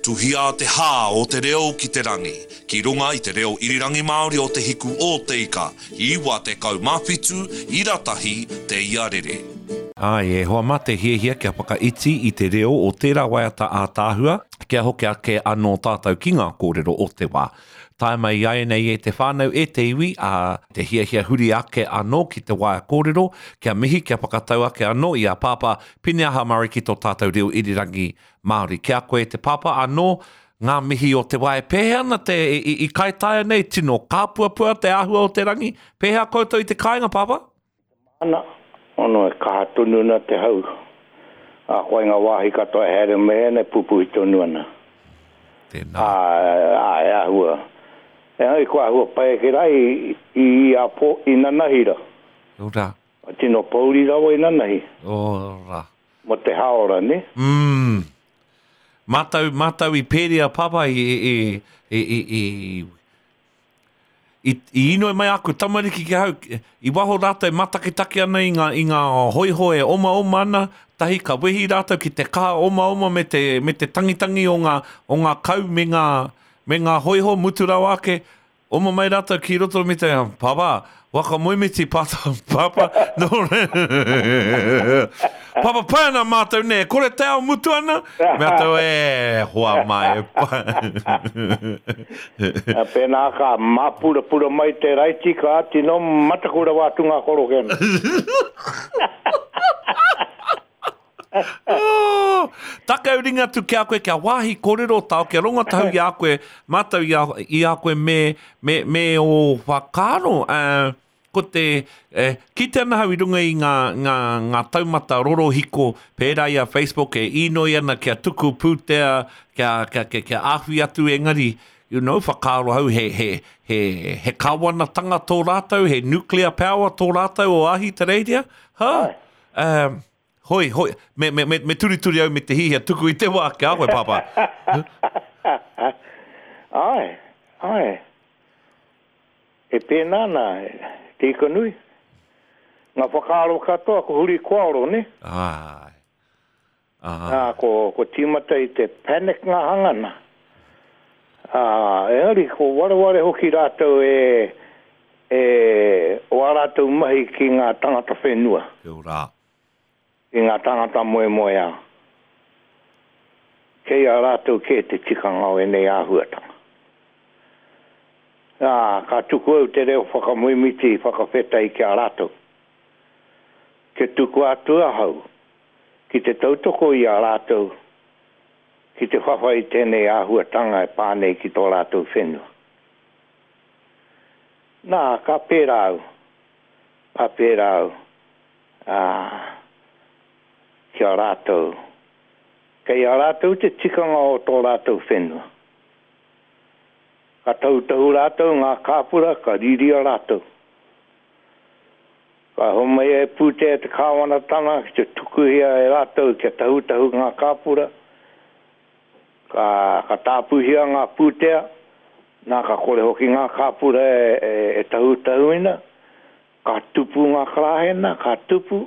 Tuhia te hā o te reo ki te rangi, ki runga i te reo irirangi Māori o Te Hiku o Te Ika, 97 ira tahi te ia rere. Āe, e hoa mā te hiahia kia whakaiti i te reo o tērā waiata ātaahua, kia hoki ake anō tātou ki ngā kōrero o te wā. Tae mai iaianei e te whānau, e te iwi, ā, te hiahia huri ake anō ki te waea kōrero, kia mihi, kia whakatau ake anō i a Pāpā Pineaha Murray ki tō tātou reo irirangi Māori. Ki a koe te pāpā anō ngā mihi o te wā e pēhea ana te, i, i Kaitaia nei, tino kāpuapua te āhua o te rangi. Pēhea koutou i te kāinga, pāpā? Ana, ono e kaha tonu ana te hau, ā, koa i ngā wāhi katoa e haere mai ana e pupuhi tonu ana. Tēnā. Ā, ā, e āhua, engari kua āhua pai ake rā i, i, i āpō, i nanahi rā. Ora. Tino pōuri rawa i nanahi. Ora. Mo te haora, ne? Mm. Mātou, mātou i Pēria Papa i, i, i, i, i, i, i inoi mai aku tamariki ki ahau, i waho rātou matakitaki ana i ngā, i ngā hoiho e omaoma ana, tahi ka wehi rātou ki te kaha omaoma me te, me te tangitangi o ngā, o ngā kau me ngā, me ngā hoiho mutu rawa ake, Oma mai ratou ki roto me te, Papa, waka moemiti, pata, papa, no re, papa, pai ana mātou ne, kore te ao mutu ana, mea tau, e, hoa mai, e pai. Pēnā ka māpurapura mai te raiti, ka tino mataku rawa atu ngā koroke ana. Oh, takau ringa atu ki a koe, kia wāhi kōrero tao, kia rongo tahu i a koe, mātou i a, i a koe me, me, me ō whakaaro. Uh, ko te, eh, kite ana hau i runga i ngā, ngā, ngā taumata rorohiko, pērā i a Facebook e īnoi ana kia tuku pūtea, kia, kia, kia, kia āwhi atu engari, you know, whakaaro hau he, he, he, he kāwanatanga tō rātou, he nuclear power tō rātou o Ahitereiria, huh? Um, hoi, hoi, me, me, me, me turituri au me te hihia tuku i te wā ki a koe, Pāpā. Āe, āe. E pēnā ana te ika nui. Ngā whakaaro katoa ko huri koaoro, nē? Āe. Āe. Nā, ko, ko tīmata i te panic ngā hangana. Ā, engari ko wareware hoki rātou e, e, o ā rātou mahi ki ngā tangata whenua. Kia ora. Ki ngā tāngata moemoeā. Kei a rātou kē te tikanga o ēnei āhuatanga. Ā, ka tuku au te reo whakamoemiti whakawhetai ki a rātou. Kia tukua atu ahau ki te tautoko i a rātou ki te whawhai i tēnei āhuatanga e pā nei ki tō rātou whenua. Nā, ka pērā au, ka pērā au, ā, ki a rātou, kei a rātou te tikanga o tō rātou whenua. Ka tautohu rātou ngā kāpura, ka riria rātou. Ka homai e pūtea te kāwanatanga ki te tukuhia e rātou kia tahutahu ngā kāpura, ka, ka tāpuhia ngā pūtea, nā ka kore hoki ngā kāpura e, e, e tahutahuina, ka tupu ngā karāhena, ka tupu,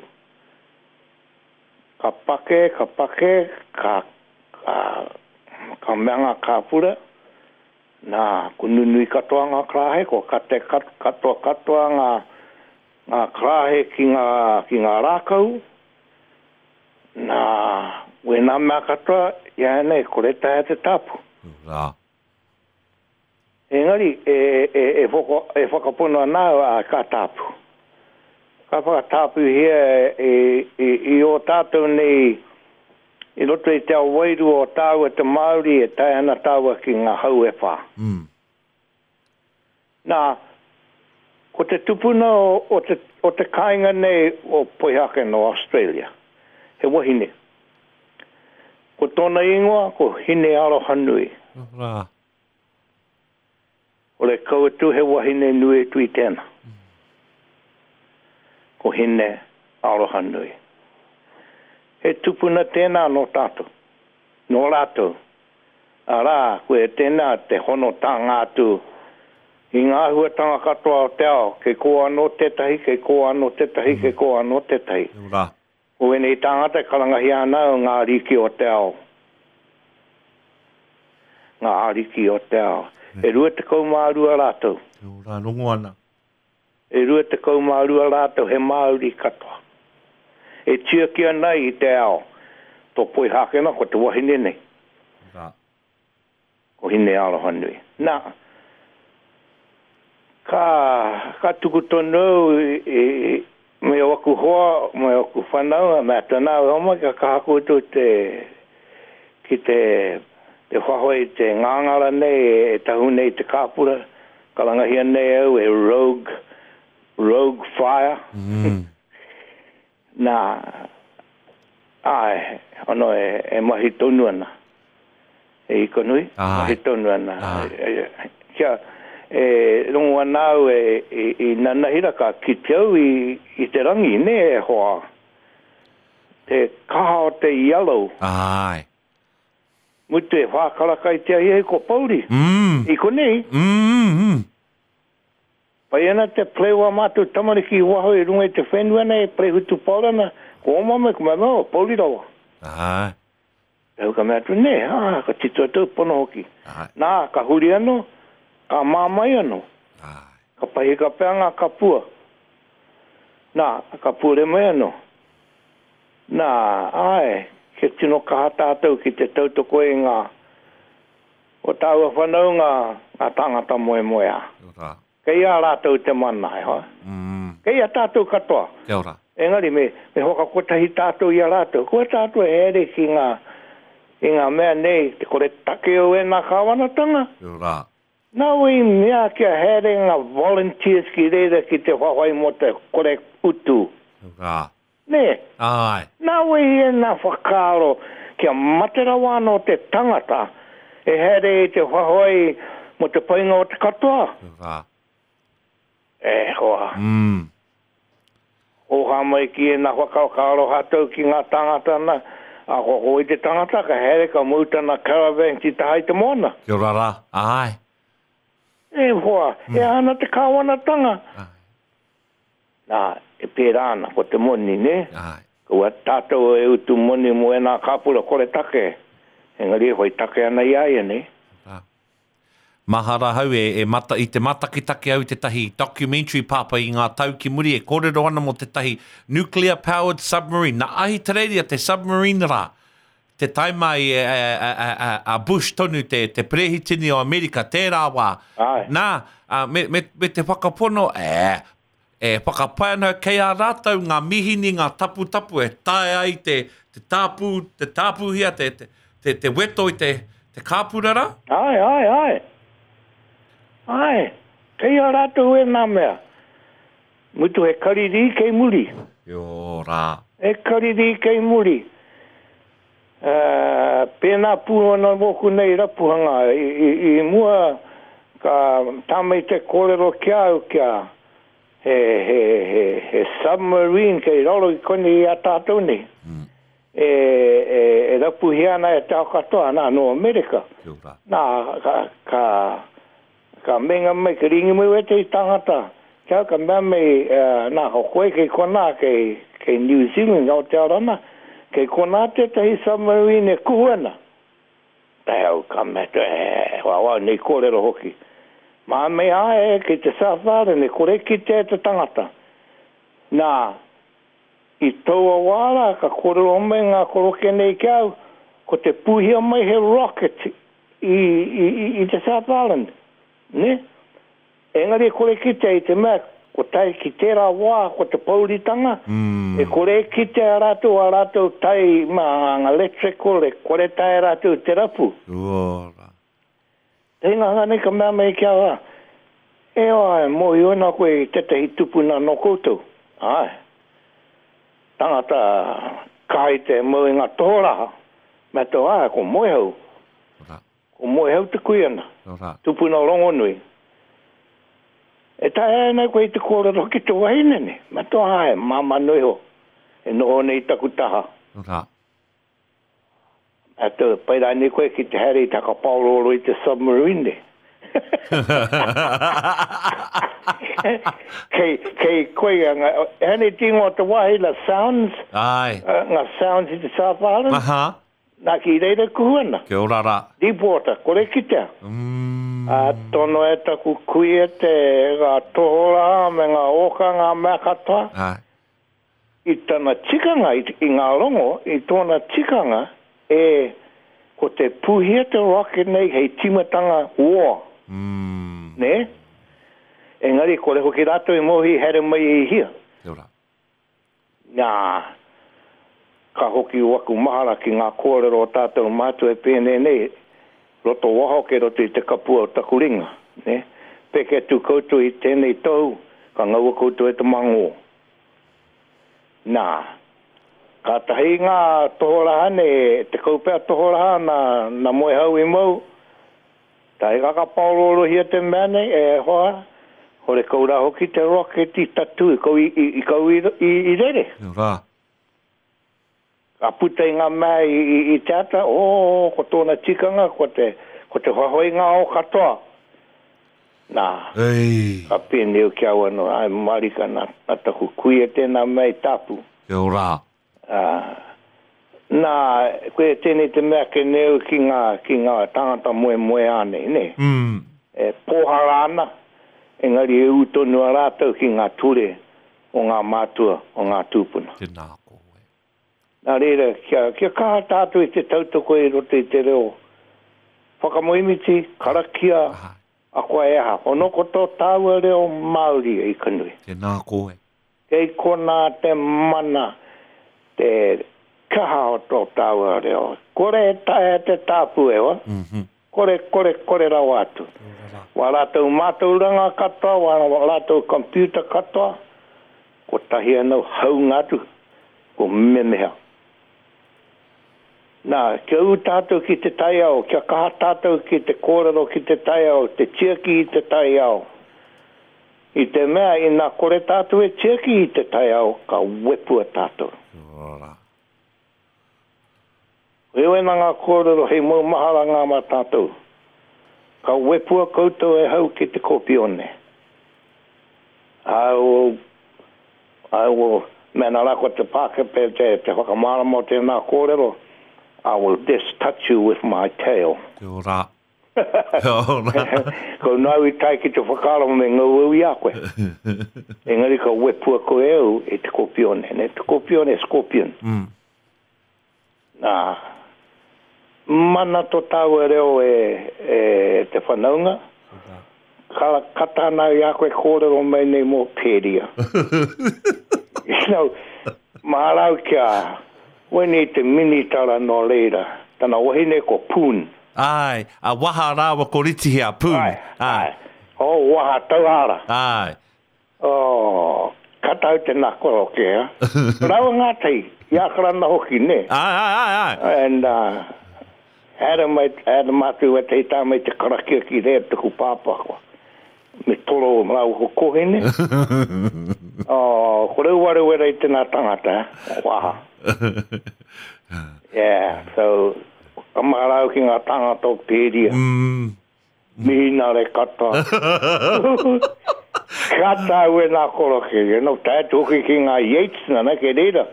ka pake, ka pake, ka, ka, ka mea ngā kāpura, Nā, ko nunui katoa ngā karāhe, kua kate katoa katoa ngā, ngā karāhe ki ngā, ki ngā rākau. Nā, wēnā mea katoa, iāianei, kore taea te tāpu. Rā. Engari, e, e, e, whaka, e whakapono ana au, ā, ka tāpu. Ka whakatāpuhia e, i, i ō tātou nei I roto i te ao wairua o tāua te Māori e tae ana tāua ki ngā hau e whā. Nā, ko te tupuna o te, o te kāinga nei o Poihakena o Australia, he wahine. Ko tōna ingoa ko Hinearohanui. Rā. Ore kau atu he wahine nui atu i tena. Ko Hine Arohanui. He tupuna tēnā nō tātou, nō rātou. Arā, koia tēnā te hono tānga atu i ngā āhuatanga katoa o te ao, kei kō anō tētahi, kei kō anō tētahi, kei kō anō tētahi. Ko ēnei tāngata e karangahia ana ngā ariki o te ao. Ngā ariki o te ao. E 22 rātou. Kia ora, rongo ana. E 22 rātou he Māori katoa. E tiaki ana i te ao. Tō Poihākena ko te wahine nei. Rā. Ko Hinearohanui. Nā, ka, ka tuku tonu au i, i, me waku hoa, me waku whanaunga, me atu ana au, homai ka kaha koutou te, ki te, te whawhai i te ngāngara nei e tahu nei i te kāpura, karangahia nei au e rogue, rogue fire. Mm. Nā, āe, ono e, e mahi tonu ana. E Ikanui, mahi tonu ana. Kia, e rongo ana au e, i, i nanahira ka kite au i, i te rangi, nē, e hoa. Te kaha o te yellow. Āe. Mutu e whākaraka i te ahiahi ko Pouri. Mm. I konei. Mm, mm. Pai ana te pleu a mātou tamariki i waho i runga i te whenua nei e play hutupaoro ana, ko oma mai, ko mai mai, o pouri rawa. Āe. Au ka mea atu, nē, ā, ka tito atu au, pono hoki. Āe. Nā, ka huri anō, ka mā mai anō. Āe. Ka pahika pea ngā kapua. Nā, ka pure mai anō. Nā, āe, kia tino kaha tātou ki te tautoko i ngā, o tāua whanaunga, ngā tāngata moemoeā. Kia ora. Kei a rātou te mana, e hoa. Kei a tātou katoa. Kia ora. Engari me, me whakakotahi tātou i a rātou. Kua tātou e haere ki ngā, i ngā mea nei, te kore take o ēnā kāwanatanga. Kia ora. Nā wai i mea kia haere ngā volunteers ki reira ki te whawhai mō te kore utu. Kia ora. Nē? Āe. Nā wai ēnā whakaaro kia mate rawa anō te tangata e haere i te whawhai mō te painga o te katoa? Kia ora. E hoa. Mm. Oha mai ki ēnā whakaaro ka aroha tou ki ngā tāngata nā, ā, ko koe te tangata ka haere ka mau tana caravan ki taha i te moana. Kia ora rā. Āe. E hoa, e aha ana te kāwanatanga? Āe. Nā, e pērā ana, ko te moni, nē? Āe. Kaua tātou e utu moni mō ēnā kāpura kore take, engari e whai take ana i a ia, nē? Rā. Mahara ahau e, e mata, i te matakitaki au i tētahi documentary pāpā i ngā tau ki muri e kōrero ana mō tētahi nuclear powered submarine. Nā Ahitereiria te submarine rā. Te taima i a, a, a, a, a Bush tonu te, te perehitini o Amerika tērā wā. Āe. Nā, a, me, me, me te whakapono, ē, E whakapae ana kei a rātou ngā mihini, ngā taputapu e taea ai te, te tāpū, te tāpūhia, te, te, te, te weto i te, te kāpura rā? Āe, āe, āe. Āe, kei a rātou ēnā mea. Mutu he karirī kei muri. Kia ora. He karirī kei muri. Ā, pēnā pū ana mōku nei rapuhanga. I, i, i mua ka tā mai te kōrero ki a au kia, He, he, he, he submarine kei raro i konei i a tātou nei. Mm. E, e, e rapuhia ana e te ao katoa, nā, nō Amerika. Kia ora. Nā, ka, ka, ka meinga mai, ka ringi mai wētehi tāngata, kia ka mea mai, uh, nā, ko koe kei konā, kei, kei New Zealand, Aotearoa nā, kei konā tētahi submarine e kuhu ana. Tae au ka mea atu, e, wawau nei kōrero hoki. Mā mei āe kei te South Island e kore kitea e te tangata. Nā, i taua wā rā ka kōrero mai ngā koroke nei ki a au, ko te pūhia mai he rocket i, i, i, i te South Island, nē? Engari e kore kitea i te mea ko tae ki tērā wā ko te pouritanga, e kore e kitea rātou ā rātou tai mā ngā electrical e kore taea rātou te rapu. Ora. Te hinganga nei ka mea mai ki a au, E oa, e mōhio ana koe i tētahi tupuna nō koutou? Āe. Tangata kaha i te mau i ngā tohoraha. Mea tau, āe, ko Moehau. Ora. Ko Moehau te kuia na. Ora. Tupuna rongonui. E taea ana koe i te kōrero ki te wahine nei? Mea tau, āe, māmā noa iho, e noho nei i taku taha. Ora. Atu, pai rānei koe ki te haere i te hakapaorooro i te submarine nei. Kei, kei koe nga, ehane te ingoa o te wāhi, la Sounds? Āe. Nga Sounds i te South Island? Aha. Nā, ki reira kuhu ana. Kia ora rā. Deep water, kore kitea. Mm. Ā, tono e taku kuia te, ngā tohorā me ngā ōka, ngā mea katoa. Āe. I tana tikanga, i, i ngā rongo, i tōna tikanga, e, ko te puhia te rocket nei hei tīmatanga war. Mm. Nē? Engari, kore hoki rātou i mōhio i haere mai i hia. Kia ora. Nā, ka hoki waku mahara ki ngā kōrero o tātou mātua e pēnei nei, roto waho kei roto i te kapua o taku ringa, nē. Peke atu koutou i tēnei tohu, ka ngaua koutou e te mangō. Nā, kātahi ngā tohoraha nei, te kaupea tohoraha nā, nā Moehau i mau, Tae ka paoroorohia te mea nei, e hoa, horekau rā hoki te rocket i tatū, i kau i, i, i kau i, i, i rere. Kia ora. Ka puta i ngā mea i, i, i te ata, oh, ko tōna tikanga, ko te, ko te whawhai ngā ao katoa. Nā, Ei. ka pēnei au ki a au anō, ai marika nā, nā taku kuia tēnā mea i tāpu. Kia ora. Ā, nā, koia tēnei te mea ake nei au ki ngā, ki ngā tāngata moemoeā nei, nē. Mm. E pōhara ana, engari e ū tonu a rātou ki ngā ture o ngā mātua, o ngā tūpuna. Tēnā koe. Nā reira, kia, kia kaha tātou i te tautoko i roto i te reo whakamoemiti, karakia, Āe. akoa e aha. Ono ko tō tāua reo Māori e Ikanui. Tēnā koe. Kei konā te mana, te kaha o tō tāua reo. Kore e taea te tāpu e hoa. Kore, kore, kore rawa atu. Wā rātou mātauranga katoa, wā rātou computer katoa, kotahi anō haunga atu, ko memeha. Nā, kia ū tātou ki te taiao, kia kaha tātou ki te kōrero ki te taiao, te tiaki i te taiao. I te mea, ina kore tātou e tiaki i te taiao, ka wepua tātou. Ora. Heoi ana ngā kōrero hei maumaharanga mā tātou. Ka wepua koutou e hau ki te kopione. I will, I will, mēnā rā ko te Pākehā te, te whakamārama o tēnā kōrero, I will just touch you with my tail. Kia ora. Kia ora. Ko nāu i tae ki te whakaaro me ngau au i a koe. Engari ka wepua koe e au e te kopione. Ne, te kopione, scorpion. Mm. Nā, mana to tāua reo e, e te whanaunga. Ka, kata ana i a koe kōrero mai nei mō Pēria. You know, mahara au kia, wēnei te minitara nō reira, tana wahine ko Poon. Āe, a Waha rāua ko Ritihia, Poon. Āe, āe. Oh, Waha Tauhara. Āe. Oh, ka tau te nakoro ke, ha? Raua ngātahi, i Ākarana hoki, nē? Āe, āe, āe, āe. And, haere mai, haere mātou wētahi tā mai te karakia ki reira taku pāpā koa. Me toro rāua ko Kohene. Oh, ko rau warewere i tēnā tangata, eh? Waha. Yeah, so, ka mahara au ki ngā tāngata o Pēria. Mm. Mihinare katoa. Ka tāu e nā koroke, you know, tae atu hoki ki ngā Yates, nana, kei reira.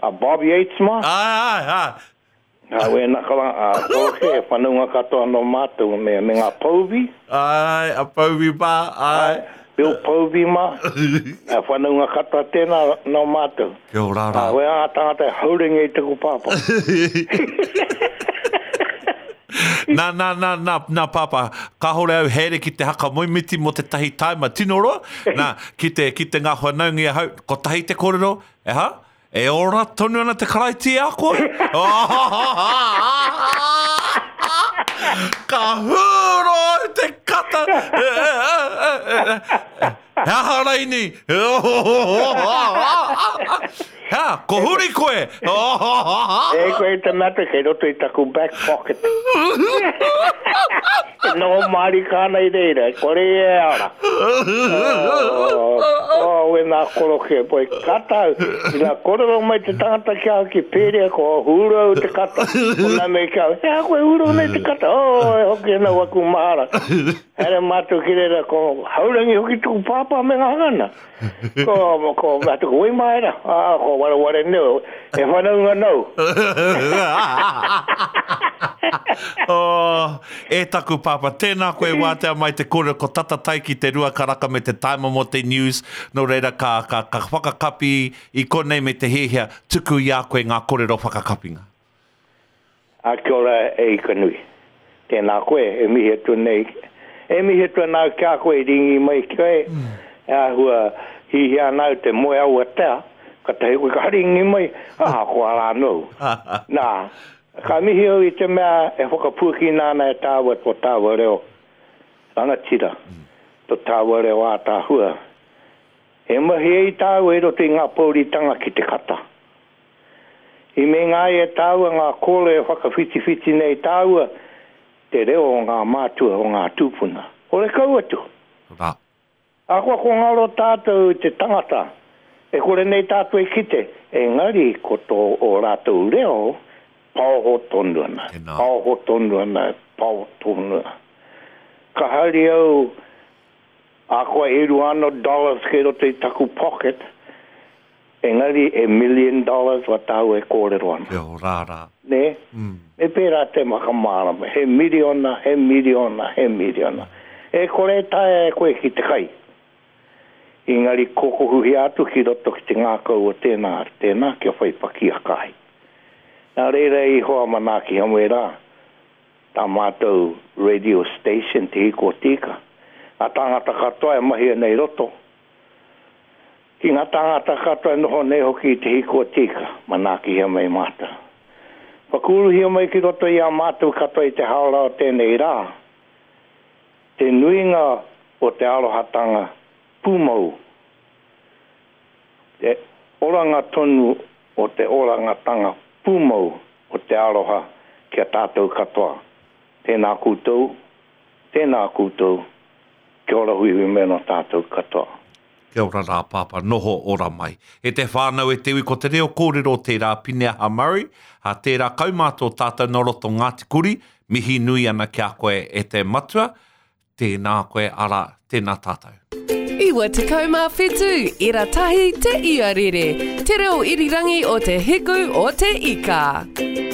A Bob Yates mā. Āe, āe, āe. Nā wēnā kara, a koroke, e whanaunga katoa nō mātou, me, me ngā Povey. Āe, a Povey mā, āe. Bill Povey mā. A whanaunga katoa tēnā nō mātou. Kia ora rā. Ā, wē ngā tāngata e haurangi i taku pāpā. Nā, nā, nā, nā, nā, pāpā, kāhore au haere ki te haka moemiti mō tētahi taima tino roa, nā, ki te, ki te ngā whanaunga i ahau, kotahi te kōrero, e ha? E ora tonu ana te Karaiti i a koe? Ka hūro au te kata! He aha raini? Ha, ko huri koe! E koe te mata kei roto i taku back pocket. E noho mārika ana i reira, e kore e ara. Oh, oh, wēnā koroke, boy, kata au. Ina kōrero mai te tangata ki ahau ki Pēria, ko hūru au te kata. Ko nā mea ki ahau, he aha koe hūru nei te kata? Oh, e hoki ana waku mahara. Haere mātou ki reira, ko Haurangi hoki tuku pāpā me ngā hangana. Ko, ko, atu ko Waimaera, ā, ko Wareware Neo. He whanaunga nōu. Oh, e taku pāpā, tēnā koe wātea mai te kōrero, ko tata tae ki te rua karaka me te taima mō te news, nō reira ka, ka, ka whakakapi i konei me te hiahia tuku i a koe ngā kōrero whakakapinga. A kia ora e Ikanui. Tēnā koe, e mihi atu nei, e mihi atu ana au ki a koe i ringi mai ki koe, e āhua hihia ana au te moe awatea, katahi koe ka ringi mai, ahakoa rā nōu. Nā, ka mihi au i te mea e whakapuakina ana e tāua tō tāua reo rangatira, tō tāua reo ātaahua. E mahi ai tāua i roto i ngā pōuritanga ki te kata. I meinga ai e tāua ngā kōrero e whakawhitiwhiti nei tāua te reo o ngā mātua, o ngā tūpuna. Horekau atu! Rā. Ahakoa ko ngaro tātou i te tangata, e kore nei tātou e kite, engari ko tō ō rātou reo paoho tonu ana, Tēnā. paoho tonu ana, paoho tonu ana. Ka haere au, ahakoa e 200 dollars kei roto i taku pocket, Engari e million dollars wa tāua e kōrero ana. Kia ora rā. Nē? Me pērā te whakamārama, he miriona, he miriona, he miriona. E kore e taea e koe ki te kai. Engari kokohuhia atu ki roto ki te ngākau o tēnā, tēnā kia whai pakiaka ai. Nā reira i hoa manaaki hamwe rā, tā mātou radio station Te Hiko o Te Ika, ngā tāngata katoa e mahi ana i roto, Ki ngā tāngata katoa e noho nei hoki i te hiko tika, manaakihia mai mātou. Whakauruhia mai ki roto i a mātou katoa i te haora o tēnei rā, te nuinga o te arohatanga pūmau, te oranga tonu o te orangatanga pūmau o te aroha ki a tātou katoa. Tēnā koutou, tēnā koutou, kia ora huihui mai anō tātou katoa. Kia ora rā Pāpā, noho ora mai. E te whānau e te iwi ko te reo kōrero tērā Pineaha Murray, ā, tērā kaumātua o tātou nō roto Ngāti Kuri, mihi nui ana ki a koe e te matua, tēnā koe arā, tēnā tātou. 97 ira tahi te iarere, te reo irirangi o te hiku o te ika.